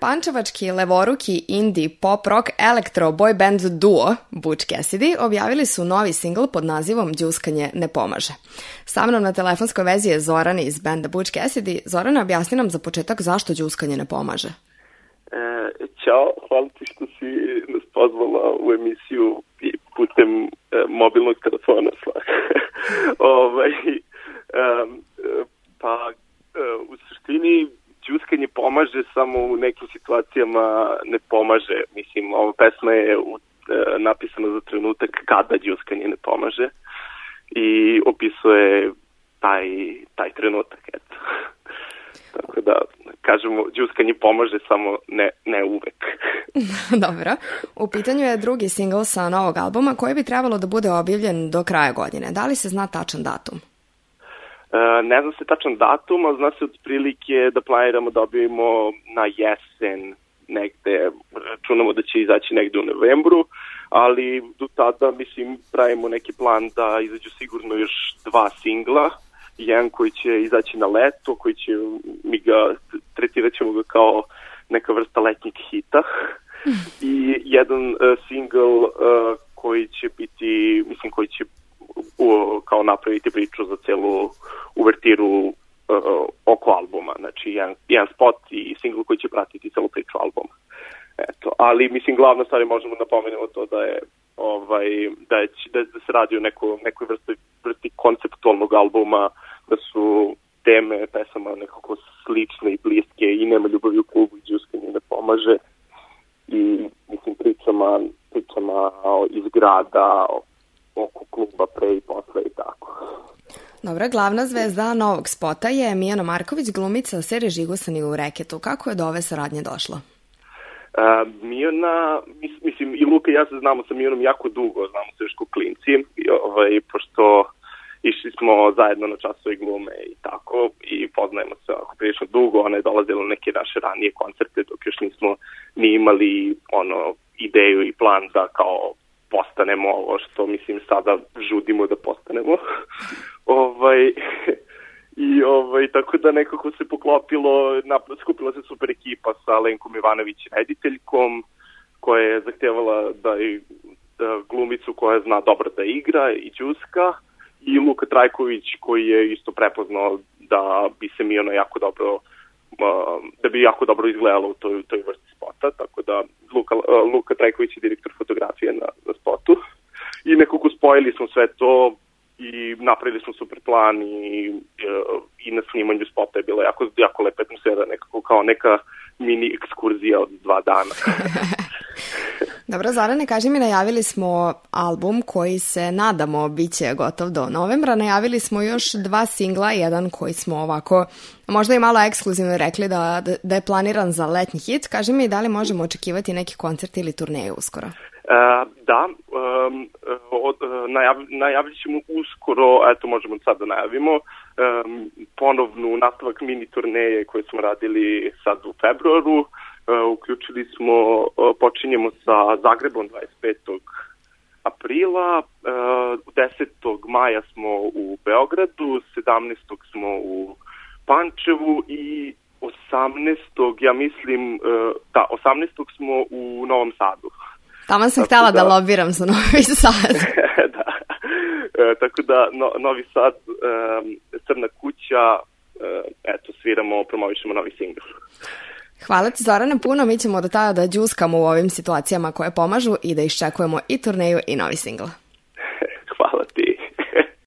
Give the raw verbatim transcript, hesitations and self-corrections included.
Pančevački levoruki indie pop rock elektro boy band duo Butch Cassidy objavili su novi singl pod nazivom Đuskanje ne pomaže. Sa mnom na telefonskoj vezi je Zoran iz benda Butch Cassidy. Zoran, objasni nam za početak zašto đuskanje ne pomaže. E, ćao, hvala ti što si nas pozvala u emisiju putem e, mobilnog telefona. ovaj, e, pa e, u suštini đuskanje pomaže, samo u nekim situacijama ne pomaže. Mislim, ova pesma je u, e, napisana za trenutak kada đuskanje ne pomaže i opisuje taj, taj trenutak, eto. Tako da, kažemo, đuskanje pomaže, samo ne, ne uvek. Dobro. U pitanju je drugi singl sa novog albuma koji bi trebalo da bude objavljen do kraja godine. Da li se zna tačan datum? E, ne zna se tačan datum, ali zna se otprilike da planiramo da objavimo na jesen negde. Računamo da će izaći negde u novembru, ali do tada, mislim, pravimo neki plan da izađu sigurno još dva singla. Jedan koji će izaći na leto, koji će, mi ga, tretirat ćemo ga kao neka vrsta letnjeg hita. I jedan uh, single uh, koji će biti, mislim, koji će uh, kao napraviti priču za celu uvertiru uh, oko albuma. Znači, jedan, jedan spot i single koji će pratiti celu priču albuma. Eto, ali, mislim, glavna stvar je, možemo napomenuti to da je ovaj, da, je, da, da se radi o neko, nekoj vrsti, vrsti konceptualnog albuma, da su teme pesama nekako slične i bliske i Nema ljubavi u klubu i đuskanje ne pomaže. I, mislim, pričama, pričama iz grada, oko kluba pre i posle i tako. Dobro, glavna zvezda novog spota je Mijana Marković, glumica serije Žigosani u reketu. Kako je do ove saradnje došlo? Uh, Mijana, mis, mislim, i Luka i ja se znamo sa Mijanom jako dugo, znamo se još ko klinci, i, ovaj, pošto išli smo zajedno na časove glume i tako, i poznajemo se ako prilično dugo. Ona je dolazila na neke naše ranije koncerte, dok još nismo ni imali ono, ideju i plan da kao postanemo ovo što, mislim, sada žudimo da postanemo. ovaj... I ovaj, tako da nekako se poklopilo, skupila se super ekipa sa Lenkom Ivanović, rediteljkom, koja je zahtevala da, da glumicu koja zna dobro da igra i đuska, i Luka Trajković, koji je isto prepoznao da bi se Mijano jako dobro, da bi jako dobro izgledalo u toj, toj vrsti spota, tako da Luka, Luka Trajković je direktor fotografije na, na spotu. I nekako spojili smo sve to i napravili smo super plan i, i na snimanju spota je bila jako, jako lepa atmosfera, nekako kao neka mini ekskurzija od dva dana. Dobro, Zorane, kaži mi, najavili smo album koji se, nadamo, bit će gotov do novembra. Najavili smo još dva singla, jedan koji smo ovako možda i malo ekskluzivno rekli da, da, da je planiran za letnji hit. Kaži mi, da li možemo očekivati neki koncert ili turneju uskoro? Uh, da, um, od, najav, najavit ćemo uskoro, eto možemo sad da najavimo, um, ponovnu nastavak mini turneje koje smo radili sad u februaru. Uh, uključili smo, uh, počinjemo sa Zagrebom dvadeset petog aprila, uh, desetog maja smo u Beogradu, sedamnaestog smo u Pančevu i osamnaestog ja mislim, uh, da, osamnaestog smo u Novom Sadu. Tamo sam htjela da, da lobiram za Novi Sad. Da. E, tako da no, Novi Sad, e, Crna kuća, e, eto, sviramo, promovišemo novi singl. Hvala ti, Zorane, puno. Mi ćemo do tada da đuskamo u ovim situacijama koje pomažu i da iščekujemo i turneju i novi singl.